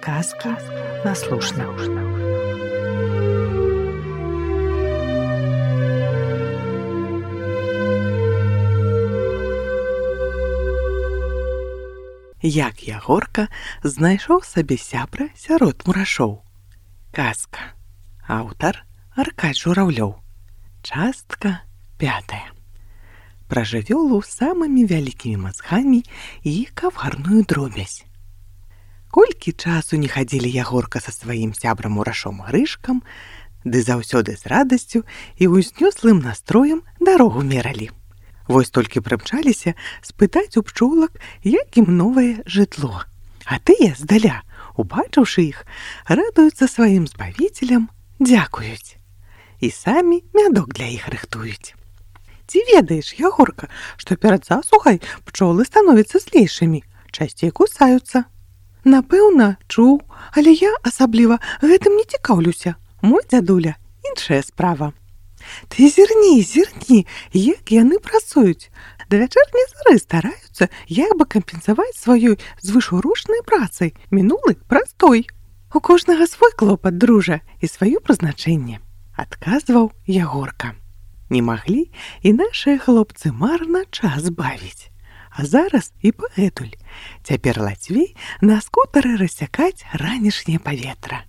Казки наслушна. Як Ягорка знайшоў сабе сябра сярод мурашоў. Казка. Аўтар Аркадзь Журавлёў. Частка 5. Пра жывёлу з самымі вялікімі мазгамі і каварную дробязь. Колькі часу не хадзілі Ягорка са сваім сябрам мурашом Грышкам, ды заўсёды з радасцю і ўзнёслым настроем дарогу мералі. Вось толькі прымчаліся спытаць у пчолак, як ім новае жытло. А тыя здаля, убачыўшы іх, радуюцца сваім збавіцелям, дзякуюць. І самі мядок для іх рыхтуюць. Ці ведаеш, Ягорка, што перад засухай пчолы становяцца злейшымі, часцей кусаюцца? Напэўна, чуў, але я асабліва гэтым не цікаўлюся. Мой дзядуля – іншая справа. Ты зірні, як яны працуюць. Да вячэрняй зары стараюцца, як бы кампенсаваць сваёй звышурочнай працай мінулы прастой. У кожнага свой клопат, дружа, і сваё прызначэнне, адказваў Ягорка. Не маглі і нашыя хлопцы марна час бавіць. А зараз і пагэтуль. Цяпер лацвей на скутары рассякаць ранішняе паветра.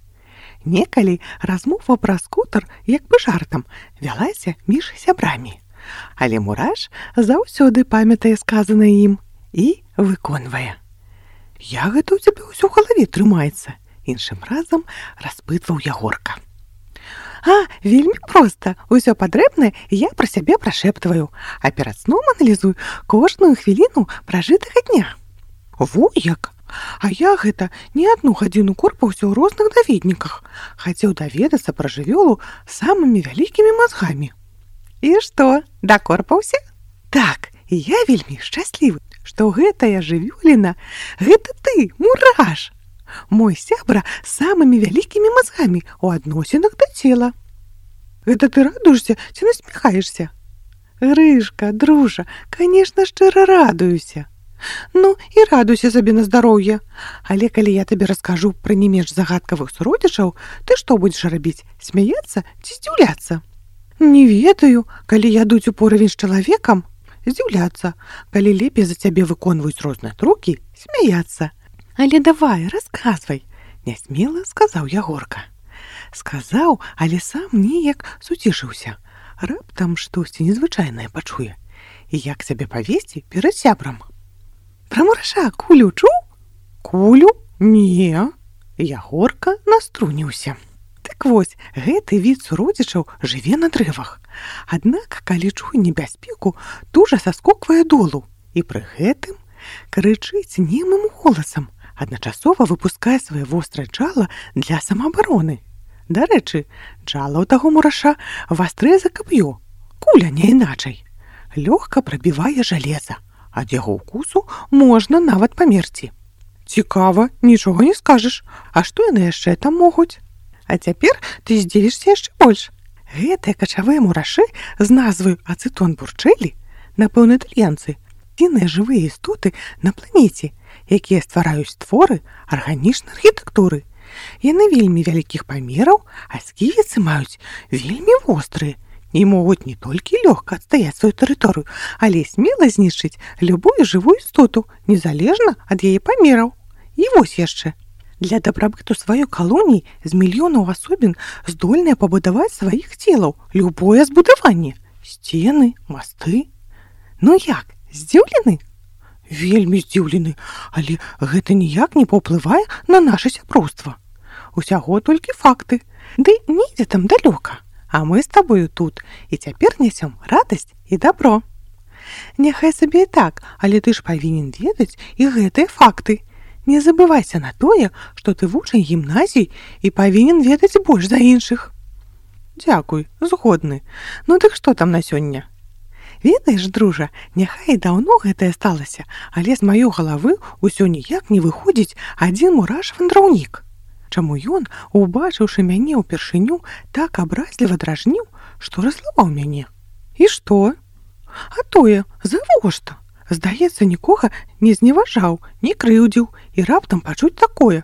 Некалі размова пра скутар, як бы жартам, вялася між сябрамі. Але мураш заўсёды памятае сказанае ім і выконвае. Я гэта ў цябе ўсё ў галаве трымаецца, іншым разам распытваў Ягорка. А, вельмі проста. Усё патрэбнае я пра сябе прашэптваю, а перад сном аналізую кожную хвіліну пражытага дня. Во як! А я гэта не адну гадзіну корпаўся ў розных даведніках. Хацеў даведацца пра жывёлу самымі вялікімі мазгамі. І што, дакорпаўся? Так, і я вельмі шчаслівы, што гэтая жывёліна – гэта ты, мураш! Мой сябра з самымі вялікімі мазгамі ў адносінах да цела. Гэта ты радуешся ці насміхаешся? Грышка, дружа, канешне, шчыра радуюся. Ну, і радуйся сабе на здароўе. Але калі я табе раскажу пра не менш загадкавых суродзічаў, ты што будзеш рабіць, смяяцца ці здзіўляцца? Не ведаю, калі ядуць у поравень з чалавекам, здзіўляцца. Калі лепей за цябе выконваюць розныя трукі, смяяцца. Але давай, расказвай, нясмела сказаў Ягорка. Сказаў, але сам неяк суцішыўся. Раптам штосьці незвычайнае пачуе. І як сябе павесці перад сябрам? Пра мураша Кулю чуў? Кулю? Не. Ягорка наструніўся. Так вось, гэты від суродзічаў жыве на дрэвах. Аднак, калі чуе небяспеку, тужа саскоквае долу. І пры гэтым крычыць немым голасам, адначасова выпускае свае вострае джала для самаабароны. Дарэчы, джала ў таго мураша вастрае за каб'ё, куля не іначай. Лёгка прабівае жалеза, ад яго ўкусу можна нават памерці. Цікава, нічога не скажаш. А што яны яшчэ там могуць? А цяпер ты здзівішся яшчэ больш. Гэтыя качавыя мурашы з назваю ацэтон бурчэлі, напэўна, італьянцы, адзіныя жывыя істоты на планеце, якія ствараюць творы арганічнай архітэктуры. Яны вельмі вялікіх памераў, а сківіцы маюць вельмі вострыя і могуць не толькі лёгка адстаяць сваю тэрыторыю, але смела знішчыць любую жывую істоту, незалежна ад яе памераў. І вось яшчэ. Для дабрабыту сваёй калоніі з мільёнаў асобін здольныя пабудаваць сваіх целаў любое збудаванне. Сцены, масты. Ну як, здзіўлены? Вельмі здзіўлены, але гэта ніяк не паўплывае на наша сяброўства. Усяго толькі факты. Ды недзе там далёка. А мы з табою тут, і цяпер нясём радасць і дабро. Няхай сабе і так, але ты ж павінен ведаць і гэтыя факты. Не забывайся на тое, што ты вучань гімназіі і павінен ведаць больш за іншых. Дзякуй, згодны. Ну дык што там на сёння? Ведаеш, дружа, няхай даўно гэтае сталася, але з маёй галавы ўсё ніяк не выходзіць адзін мураш-вандраўнік. Чаму ён, убачыўшы мяне ўпершыню, так абразліва дражніў, што разлаваў мяне? І што? А тое, завошта? Здаецца, нікога не зневажаў, не крыўдзіў і раптам пачуць такое.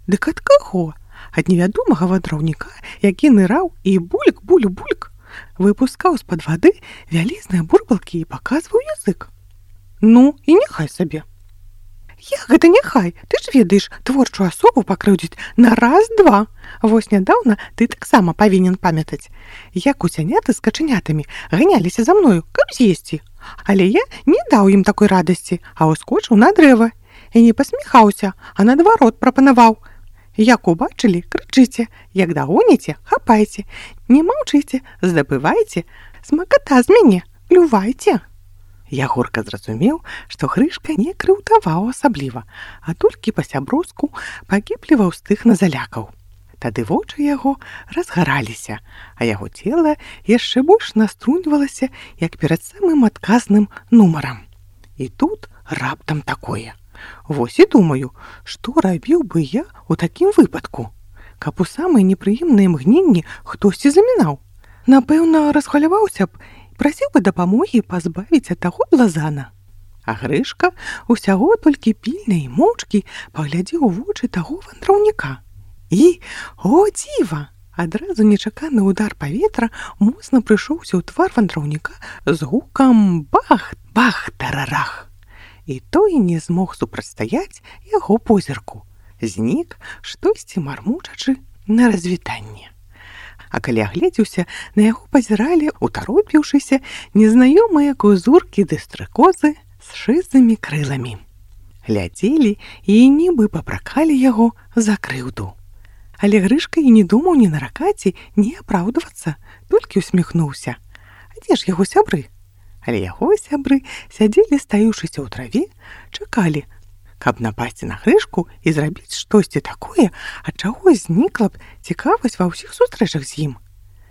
Дык ад каго? Ад невядомага вандраўніка, які ныраў і бульк, буль-бульк, выпускаў з-пад вады вялізныя бурбалкі і паказваў язык. Ну, і няхай сабе. Як гэта няхай? Ты ж ведаеш, творчую асобу пакрыўдзіць на раз-два. Вось нядаўна ты таксама павінен памятаць, як гусяняты з качанятамі ганяліся за мною, каб з'есці. Але я не даў ім такой радасці, а ўскочыў на дрэва. І не пасміхаўся, а наадварот прапанаваў. Як убачылі, крычыце, як дагоніце, хапайце, не маўчыце, здабывайце, смаката з мяне, клювайце. Ягорка зразумеў, што Грышка не крыўдаваў асабліва, а толькі па-сяброўску пакіпліваў з тых на залякаў. Тады вочы яго разгараліся, а яго цела яшчэ больш наструньвалася, як перад самым адказным нумарам. І тут раптам такое. Вось і думаю, што рабіў бы я ў такім выпадку, каб у самыя непрыемныя імгненні хтосьці замінаў. Напэўна, расхваляваўся б, прасіў бы дапамогі пазбавіць ад таго блазана. А Грышка усяго толькі пільна і моўчкі паглядзеў у вочы таго вандраўніка. І, о дзіва! Адразу нечаканы ўдар паветра моцна прыйшоўся ў твар вандраўніка з гукам бах-бах-тарарах. І той не змог супрацьстаяць яго позірку. Знік, штосьці мармучачы на развітанне. А калі агледзеўся, на яго пазіралі, утаропіўшыся, незнаёмыя кузуркі ды стрыкозы з шызымі крыламі. Глядзелі і нібы папракалі яго за крыўду. Але Грышка і не думаў ні наракаць, ні апраўдвацца, толькі усміхнуўся. А дзе ж яго сябры? Але яго сябры сядзелі, стаіўшыся ў траве, чакалі, каб напасці на Грышку і зрабіць штосьці такое, ад чаго знікла б цікавасць ва ўсіх сустрэчах з ім.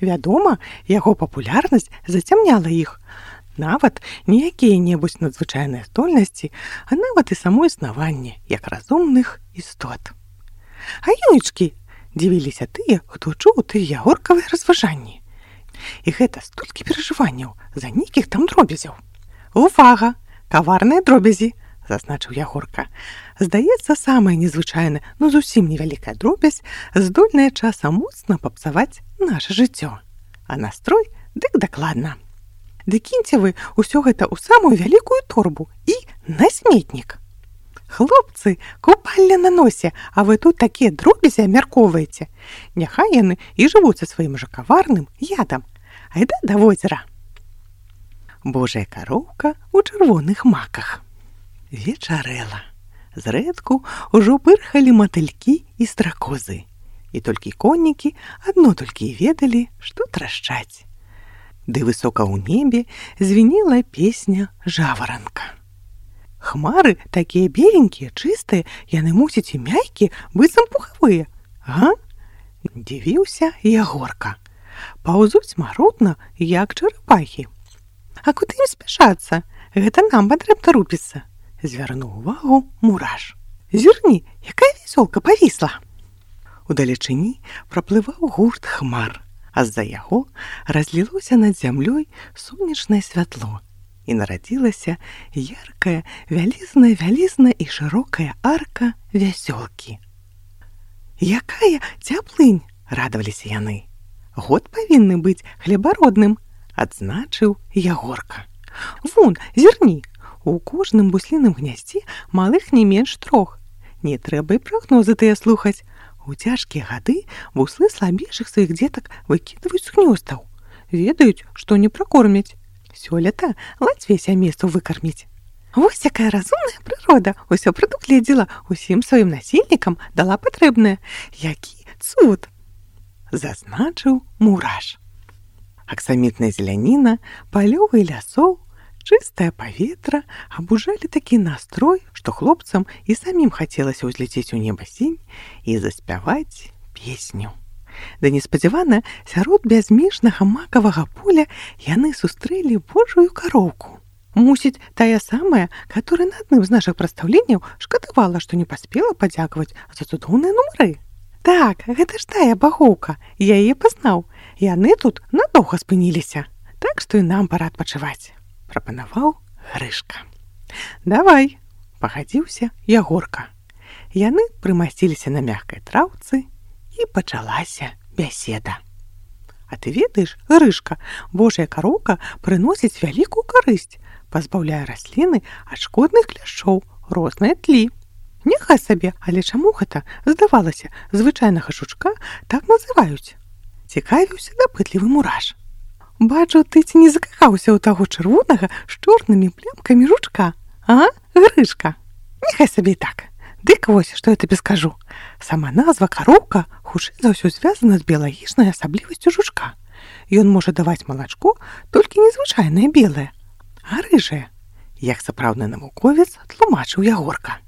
Вядома, яго папулярнасць зацямняла іх. Нават не якія-небудзь надзвычайныя здольнасці, а нават і само існаванне, як разумных істот. А ёйчкі! Дзівіліся тыя, хто чуў тыя ягоркавыя разважанні. І гэта столькі перажыванняў за нейкіх там дробязяў. Увага! Каварныя дробязі! Зазначыў Ягорка. Здаецца, самая незвычайная, но зусім невялікая дробязь, здольная часам моцна папсаваць наша жыццё. А настрой дык дакладна. Ды кіньце вы ўсё гэта ў самую вялікую торбу і на сметнік. Хлопцы, купальня на носе, а вы тут такія дробязі абмяркоўваеце. Няхай яны і жывуць са сваім жа каварным ядам. Айда да возера. Божая кароўка ў чырвоных маках. Вечарэла. Зрэдку ўжо пырхалі матылькі і стракозы. І толькі коннікі адно толькі і ведалі, што трашчаць. Ды высока ў небе звінела песня жаваранка. Хмары такія беленькія, чыстыя, яны мусяць і мяккія, быццам пухавыя. Га? Дзівіўся Ягорка. Паўзуць марудна, як чарапахі. А куды ім спяшацца? Гэта нам патрэбна рупіцца. Звярнуў увагу Мураш. Зірні, якая вясёлка павісла. Удалечыні праплываў гурт хмар, а з-за яго разлілося над зямлёй сонечнае святло. І нарадзілася яркая, вялізная і шырокая арка вясёлкі. Якая цяплынь, радаваліся яны. Год павінны быць хлебародным, адзначыў Ягорка. Вон, зірні, у кожным бусліным гняздзе малых не менш 3. Не трэба і прагнозы тыя слухаць. У цяжкія гады буслы слабейшых сваіх дзетак выкідваюць з гнёздаў. Ведаюць, што не пракормяць. Сёлета лацвей сямейству выкарміць. Вось якая разумная прырода ўсё прадугледзела, усім сваім насельнікам дала патрэбнае. Які цуд! Зазначыў Мураш. Аксамітная зеляніна, палёвы лясоў, чыстае паветра абужалі такі настрой, што хлопцам і самім хацелася ўзляцець у неба сінь і заспяваць песню. Да неспадзявана, сярод бязмежнага макавага поля яны сустрэлі Божую кароўку. Мусіць, тая самая, которая на адным з нашых прадстаўленняў шкадавала, што не паспела падзякаваць за цудоўныя нумары. Так, гэта ж тая багоўка, я яе пазнаў. Яны тут надоўга спыніліся, так што і нам пара адпачываць, прапанаваў Грышка. Давай, пагадзіўся Ягорка. Яны прымасціліся на мягкай траўцы, і пачалася бяседа. А ты ведаеш, Грышка, Божая кароўка прыносіць вялікую карысць, пазбаўляе расліны ад шкодных кляшоў, розныя тлі. Няхай сабе, але чаму гэта, здавалася, звычайнага жучка так называюць? Цікавіўся дапытлівы мураш. Бачу, ты ці не закахаўся ў таго чырвонага з чорнымі плямкамі жучка, а, Грышка? Няхай сабе і так. Дык вось, што я табе скажу. Сама назва кароўка хутчэй за ўсё звязана з біялагічнай асаблівасцю жучка. Ён можа даваць малачко толькі незвычайнае белае, а рыжае, як сапраўдны навуковец тлумачыў Ягорка.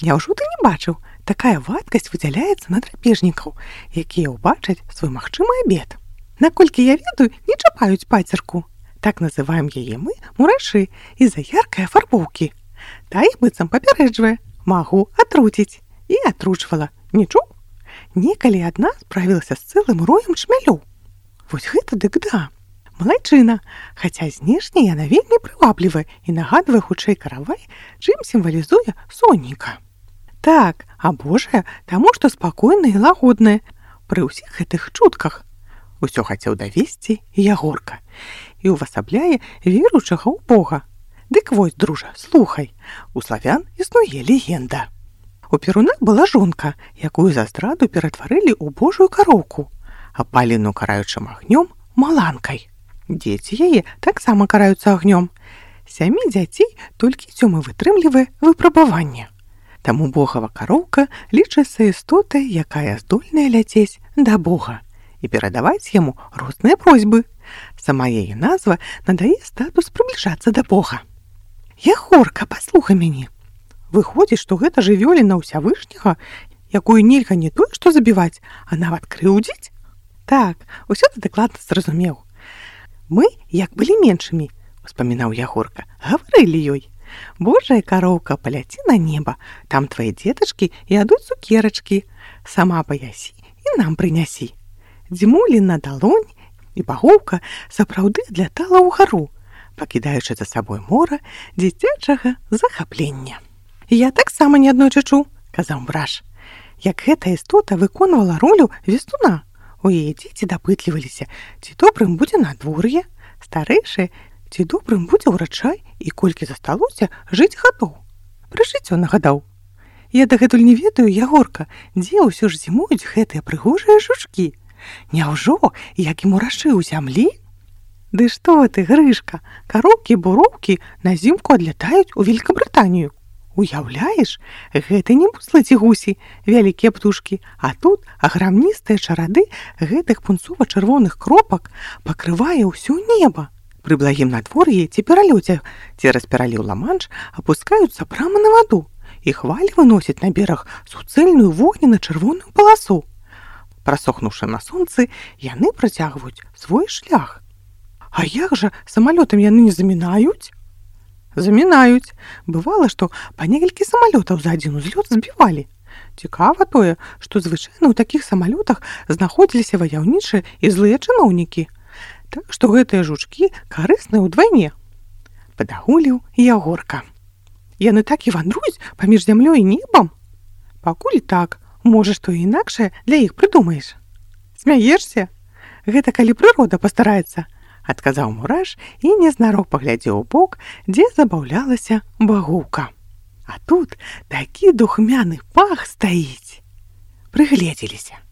Няўжо ты не бачыў, такая вадкасць выдзяляецца на драпежнікаў, якія ўбачаць свой магчымы абед. Наколькі я ведаю, не чапаюць пацерку. Так называем яе мы, мурашы, з-за яркай афарбоўкі. Та іх быццам папярэджвае. Магу атруціць. І атручвала. Не чуў? Некалі адна справілася з цэлым роем чмялёў. Вось гэта дык да. Малайчына, хаця знешне яна вельмі прываблівая і нагадвае хутчэй каравай, чым сімвалізуе сонніка. Так, а Божая, таму што спакойная і лагодная пры ўсіх гэтых чутках. Усё хацеў давесці Ягорка і ўвасабляе веруючага ў Бога. Дык вось, дружа, слухай, у славян існуе легенда. У Перуна была жонка, якую за здраду ператварылі ў Божую кароўку, апаленую караючым агнём маланкай. Дзеці яе таксама караюцца агнём. 7 дзяцей толькі 7 вытрымлівае выпрабаванне. Таму Богава кароўка лічыцца істотай, якая здольная ляцець да Бога і перадаваць яму розныя просьбы. Сама яе назва надае статус прыбліжацца да Бога. Ягорка, паслухай мяне. Выходзіць, што гэта жывёліна ўсявышняга, якую нельга не тое што забіваць, а нават крыўдзіць? Так, усё ты дакладна зразумеў. Мы, як былі меншымі, успамінаў Ягорка, гаварылі ёй. Божая кароўка, паляці на неба, там твае дзетачкі ядуць цукерачкі, сама паясі і нам прынясі. Дзьмулі на далонь, і багоўка сапраўды адлятала ўгару, пакідаючы за сабой мора дзіцячага захаплення. Я таксама не аднойчы чуў, казаў мураш, як гэта істота выконвала ролю вестуна. У яе дзеці дапытліваліся, ці добрым будзе надвор'е, старэйшыя, ці добрым будзе ўрачай і колькі засталося жыць гадоў. Пра жыццё нагадаў. Я дагэтуль не ведаю, Ягорка, дзе ўсё ж зімуюць гэтыя прыгожыя жучкі. Няўжо, як і мурашы ў зямлі? Ды што ты, Грышка, кароўкі-буроўкі на зімку адлятаюць у Великабрытанію. Уяўляеш, гэта не буслы ці гусі, вялікія птушкі, а тут аграмністыя чарады гэтых пунцова-чырвоных кропак пакрывае ўсё неба. Пры благім надвор'і ці пералёце цераз пераліў Ла-Манш апускаюцца прама на ваду, і хвалі выносяць на бераг суцэльную вогненна-чырвоную паласу. Прасохнуўшы на сонцы, яны працягваюць свой шлях. А як жа самалётам яны не замінаюць? Замінаюць. Бывала, што па некалькі самалётаў за адзін узлёт збівалі. Цікава тое, што звычайна ў такіх самалётах знаходзіліся ваяўнічыя і злыя чыноўнікі. Так што гэтыя жучкі карысныя ўдвайне. Падагуліў Ягорка. Яны так і вандруюць паміж зямлёй і небам? Пакуль так, можа, што інакшае для іх прыдумаеш. Смяешся? Гэта калі прырода пастараецца, адказаў мураш і незнарок паглядзеў у бок, дзе забаўлялася багоўка. А тут такі духмяны пах стаіць. Прыгледзеліся.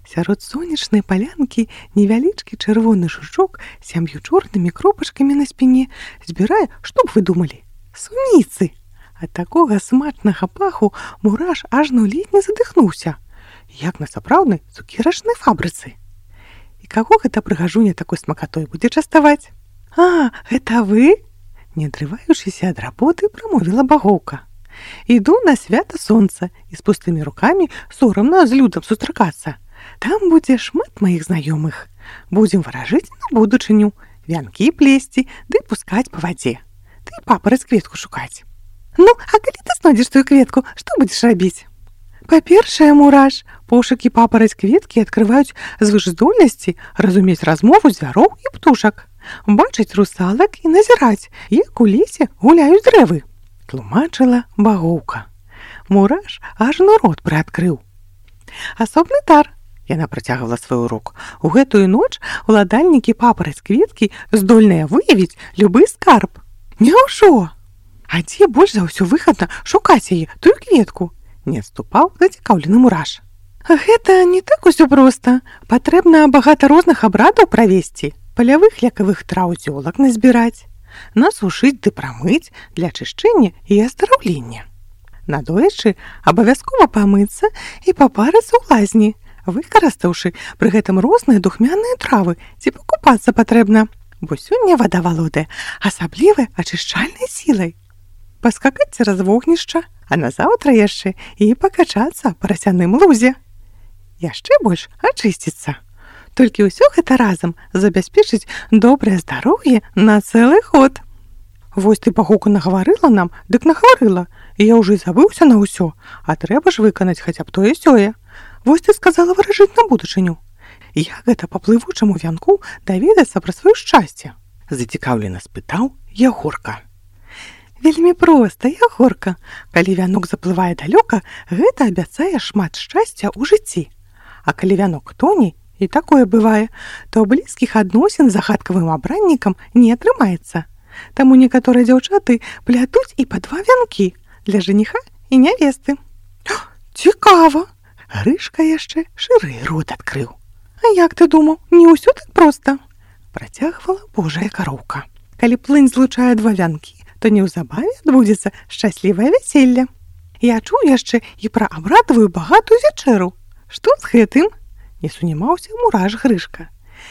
Сярод сонечнай палянкі невялічкі чырвоны жучок з 7 чорнымі кропачкамі на спіне збірае, што б вы думалі? Суніцы! Ад такога смачнага паху мураш ажно ледзь не задыхнуўся, як на сапраўднай цукерачнай фабрыцы. І каго гэта прыгажуня такой смакатой будзе частаваць? А, гэта вы? Не адрываючыся ад работы, прамовіла багоўка. Іду на свята сонца і з пустымі рукамі сорамна з людам сустракацца. Там будзе шмат маіх знаёмых. Будзем варажыць на будучыню, вянкі плесці ды пускаць па вадзе. Ты папараць кветку шукаць. Ну, а калі ты знойдзеш тую кветку, што будзеш рабіць? Па-першае, мураш, пошукі папараць кветкі адкрываюць звышздольнасці разумець размову звяроў і птушак, бачыць русалак і назіраць, як у лесе гуляюць дрэвы, тлумачыла багоўка. Мураш ажно рот прыадкрыў. Асобны дар, яна працягвала свой урок. У гэтую ноч уладальнікі папараць кветкі здольныя выявіць любы скарб. Няўжо? А дзе больш за ўсё выгадна шукаць яе, тую кветку? Не адступаў зацікаўлены Мураш. Гэта не так усё проста. Патрэбна багата розных абрадаў правесці, палявых лекавых траў зёлак назбіраць, насушыць ды прамыць для ачышчэння і аздараўлення. Надоечы абавязкова памыцца і папарыцца ў лазні, выкарыстаўшы пры гэтым розныя духмяныя травы, ці пакупацца патрэбна, бо сёння вада валодае асаблівай ачышчальнай сілай. Паскакаць цераз вогнішча, а назаўтра яшчэ і пакачацца па расяным лузе. Яшчэ больш ачысціцца. Толькі ўсё гэта разам забяспечыць добрае здароўе на цэлы год. Вось ты пагуку нагаварыла нам, дык нагаварыла, і я ўжо і забыўся на ўсё, а трэба ж выканаць хаця б тое-сёе. Вось ты сказала выражыць на будучыню. Як гэта па плывучаму вянку даведацца пра сваё шчасце? Зацікаўлена спытаў Ягорка. Вельмі проста, Ягорка. Калі вянок заплывае далёка, гэта абяцае шмат шчасця ў жыцці. А калі вянок тоне, і такое бывае, то блізкіх адносін з загадкавым абраннікам не атрымаецца. Таму некаторыя дзяўчаты плятуць і па 2 вянкі для жаніха і нявесты. Цікава! Грышка яшчэ шырэй рот адкрыў. А як ты думаў, не ўсё так проста? Працягвала Божая кароўка. Калі плынь злучае 2 вянкі, то неўзабаве адбудзецца шчаслівае вяселле. Я чуў яшчэ і пра абрадавую багатую вячэру. Што з гэтым? Не сунімаўся Мураш Грышка.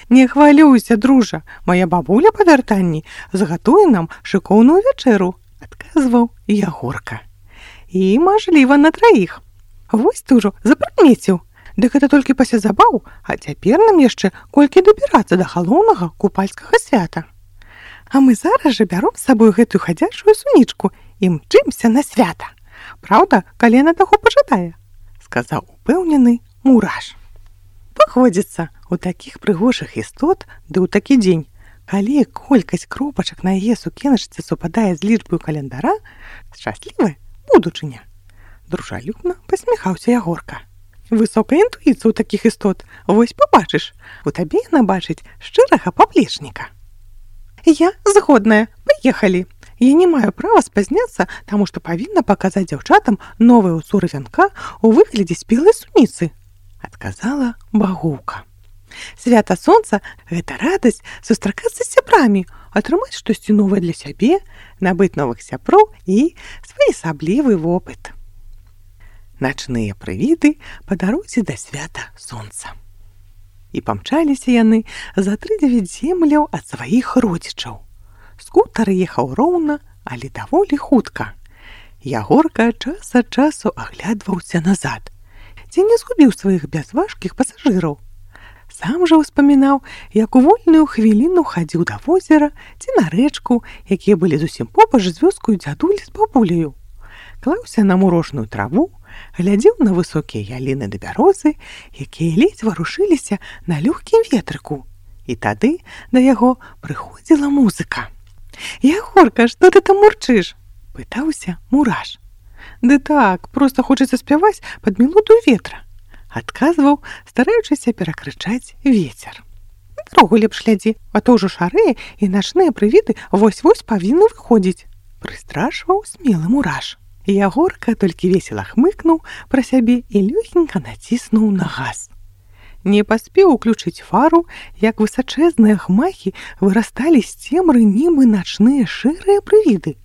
Не хвалюйся, дружа, моя бабуля па вяртанні загатуе нам шыкоўную вячэру, адказваў Ягорка. І, мажліва, на 3. Вось ты ўжо запрыкмеціў. Дык гэта толькі пасля забаў, а цяпер нам яшчэ колькі дабірацца да галоўнага купальскага свята. А мы зараз жа бяром з сабою гэтую хадзячую сунічку і мчымся на свята. Праўда, калі яна таго пажадае, сказаў упэўнены Мураш. Паходзіцца, у такіх прыгожых істот, ды ў такі дзень, калі колькасць кропачак на яе сукеначцы супадае з лічбаю календара, шчаслівая будучыня. Дружалюбна пасміхаўся Ягорка. Высокая інтуіцыя ў такіх істот, вось пабачыш, у табе яна бачыць шчырага паплечніка. Я згодная, паехалі. Я не маю права спазняцца, таму што павінна паказаць дзяўчатам новыя ўзоры вянка ў выглядзе спелай суніцы, адказала багоўка. Свята сонца – гэта радасць сустракацца з сябрамі, атрымаць штосьці новае для сябе, набыць новых сяброў і своеасаблівы вопыт. Начныя прывіды па дарозе да свята сонца. І памчаліся яны за 3-9 земляў ад сваіх родзічаў. Скутар ехаў роўна, але даволі хутка. Ягорка час ад часу аглядваўся назад, ці не згубіў сваіх бязважкіх пасажыраў. Сам жа ўспамінаў, як у вольную хвіліну хадзіў да возера ці на рэчку, якія былі зусім побач з вёскаю дзядулі з бабуляю. Клаўся на мурошную траву, глядзеў на высокія яліны да бярозы, якія ледзь варушыліся на лёгкім ветрыку. І тады да яго прыходзіла музыка. «Ягорка, што ты там мурчыш?» – пытаўся Мураш. «Ды так, проста хочацца спяваць пад мелодыю ветра», – адказваў, стараючыся перакрычаць вецер. «Дарогу лепш глядзі, а то ўжо шарэе і начныя прывіды вось-вось павінны выходзіць», – прыстрашваў смелы Мураш. Ягорка толькі весела хмыкнуў пра сябе і лёгенька націснуў на газ. Не паспеў уключыць фару, як высачэзныя хмахі вырасталі з цемры нібы начныя шэрыя прывіды.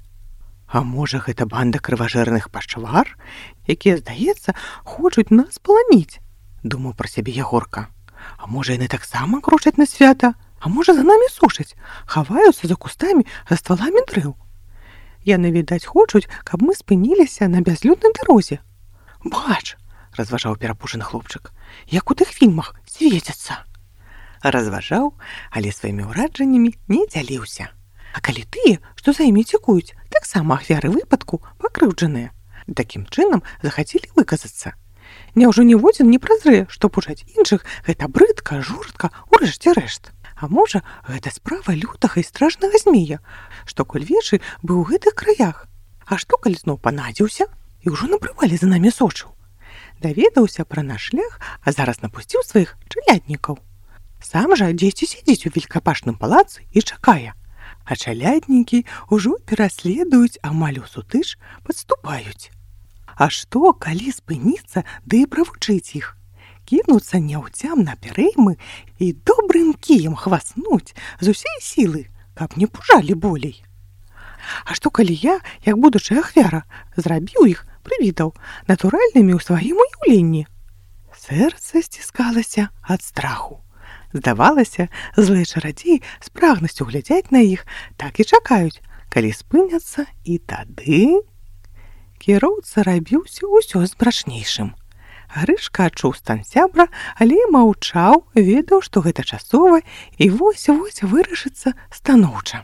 А можа, гэта банда крыважэрных пачвар, якія, здаецца, хочуць нас паламіць, думаў пра сябе Ягорка. А можа, яны таксама крочаць на свята, а можа, за намі сушаць, хаваюцца за кустамі, за стваламі дрэў. Яны, відаць, хочуць, каб мы спыніліся на бязлюднай дарозе. Бач, разважаў перапужаны хлопчык, як у тых фільмах свецяцца. Разважаў, але сваімі ўраджаннямі не дзяліўся. А калі тыя, што за імі цікуюць, таксама ахвяры выпадку пакрыўджаныя. Такім чынам захацелі выказацца. Няўжо ніводзін не празрэ, што пужаць іншых гэта брыдка, жорстка, урэшце рэшт. А можа, гэта справа лютага і страшнага змея, што коль вечы быў у гэтых краях. А што, калі зноў панадзіўся? і ўжо на прывале за намі сочыў. Даведаўся пра наш шлях, а зараз напусціў сваіх чаляднікаў. Сам жа дзесьці сядзіць у велікапашным палацы і чакае. А чаляднікі ўжо пераследуюць, амаль у сутыч падступаюць. А што, калі спыніцца, ды і правучыць іх? Кінуцца няўцям на пярэймы і добрым кіем хваснуць з усей сілы, каб не пужалі болей. А што, калі я, як будучая ахвяра, зрабіў іх, прывітаў, натуральнымі ў сваім уяўленні? Сэрца сціскалася ад страху. Здавалася, злыя чарадзеі з прагнасцю глядзяць на іх, так і чакаюць, калі спыняцца, і тады... Кіроўца рабіўся ўсё змрачнейшым. Грышка адчуў стан сябра, але маўчаў, ведаў, што гэта часова, і вось-вось вырашыцца станоўча.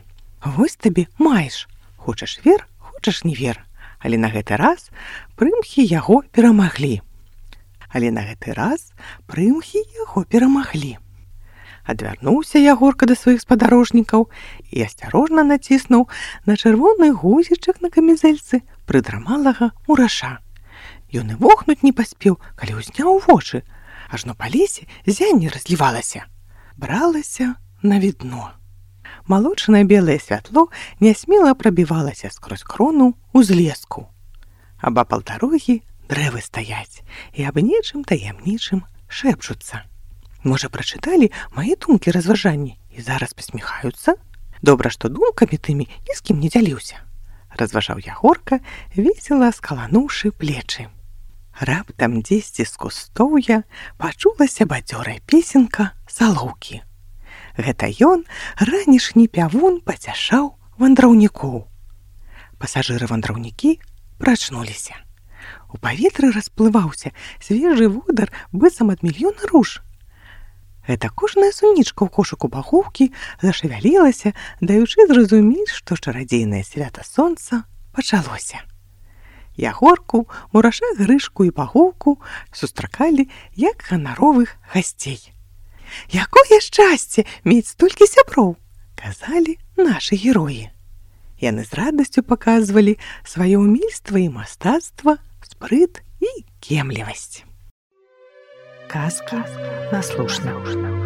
Вось табе маеш. Хочаш вер, хочаш не вер. Але на гэты раз прымхі яго перамаглі. Адвярнуўся Ягорка да сваіх спадарожнікаў і асцярожна націснуў на чырвоны гузічак на камізэльцы прыдрамалага мураша. Ён і вохнуць не паспеў, калі ўзняў вочы, ажно па лесе зянне разлівалася. Бралася на відно. Малочнае белае святло нясмела прабівалася скрозь крону ўзлеску. Абапал дарогі дрэвы стаяць і аб нечым таямнічым шэпчуцца. Можа, прачыталі мае думкі разважанні і зараз пасміхаюцца? Добра, што думкамі тымі ні з кім не дзяліўся. Разважаў Ягорка, весела скалануўшы плечы. Раптам дзесьці з кустоўя пачулася бадзёрая песенка салоўкі. Гэта ён, ранішні пявун, пацяшаў вандраўнікоў. Пасажыры-вандраўнікі прачнуліся. У паветры расплываўся свежы водар быццам ад мільёна руж. Гэта кожная сунічка ў кошыку багоўкі зашавялілася, даючы зразумець, што чарадзейнае свята сонца пачалося. Ягорку, мураша, Грышку і багоўку сустракалі як ганаровых гасцей. «Якое шчасце мець столькі сяброў!» казалі нашы героі. Яны з радасцю паказвалі сваё ўмельства і мастацтва, спрыт і кемлівасць. Казка наслушна.